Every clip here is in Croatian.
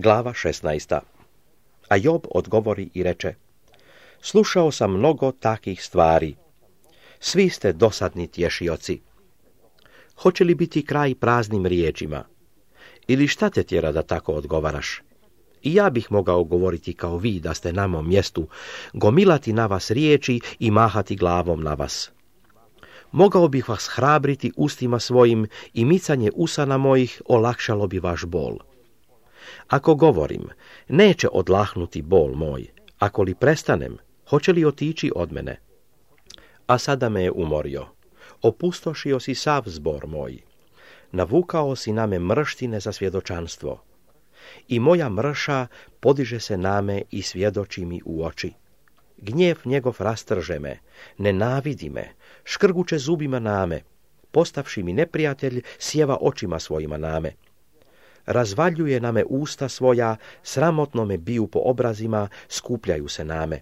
Glava 16. A Job odgovori i reče: slušao sam mnogo takih stvari. Svi ste dosadni tješioci. Hoće li biti kraj praznim riječima? Ili šta te tjera da tako odgovaraš? I ja bih mogao govoriti kao vi da ste na mom mjestu, gomilati na vas riječi i mahati glavom na vas. Mogao bih vas hrabriti ustima svojim i micanje usana mojih olakšalo bi vaš bol. Ako govorim, neće odlahnuti bol moj. Ako li prestanem, hoće li otići od mene? A sada me je umorio. Opustošio si sav zbor moj. Navukao si na me mrštine za svjedočanstvo. I moja mrša podiže se na me i svjedoči mi u oči. Gnjev njegov rastrže me, nenavidi me, škrguče zubima na me. Postavši mi neprijatelj, sjeva očima svojima na me. Razvaljuje na me usta svoja, sramotno me biju po obrazima, skupljaju se na me.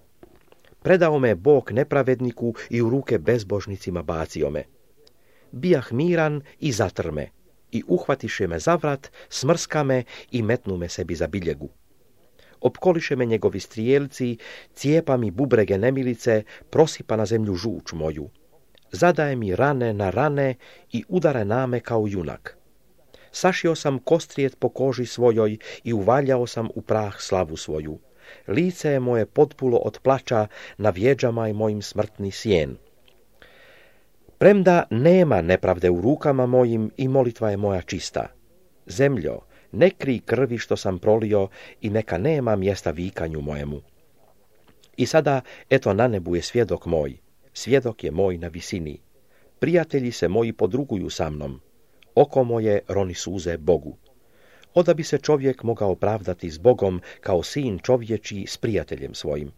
Predao me Bog nepravedniku i u ruke bezbožnicima bacio me. Bijah miran i zatr me, i uhvatiše me za vrat, smrska me i metnu me sebi za biljegu. Opkoliše me njegovi strijelci, cijepa mi bubrege nemilice, prosipa na zemlju žuč moju. Zadaje mi rane na rane i udara na me kao junak. Sašio sam kostrijet po koži svojoj i uvaljao sam u prah slavu svoju. Lice je moje potpulo od plača, na vjeđama je mojim smrtni sjen. Premda nema nepravde u rukama mojim i molitva je moja čista. Zemljo, ne krij krvi što sam prolio i neka nema mjesta vikanju mojemu. I sada, eto na nebu je svjedok moj, svjedok je moj na visini. Prijatelji se moji podruguju sa mnom. Oko moje roni suze Bogu. Oda bi se čovjek mogao pravdati s Bogom kao sin čovječiji s prijateljem svojim.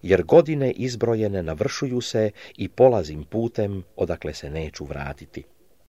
Jer godine izbrojene navršuju se i polazim putem odakle se neću vratiti.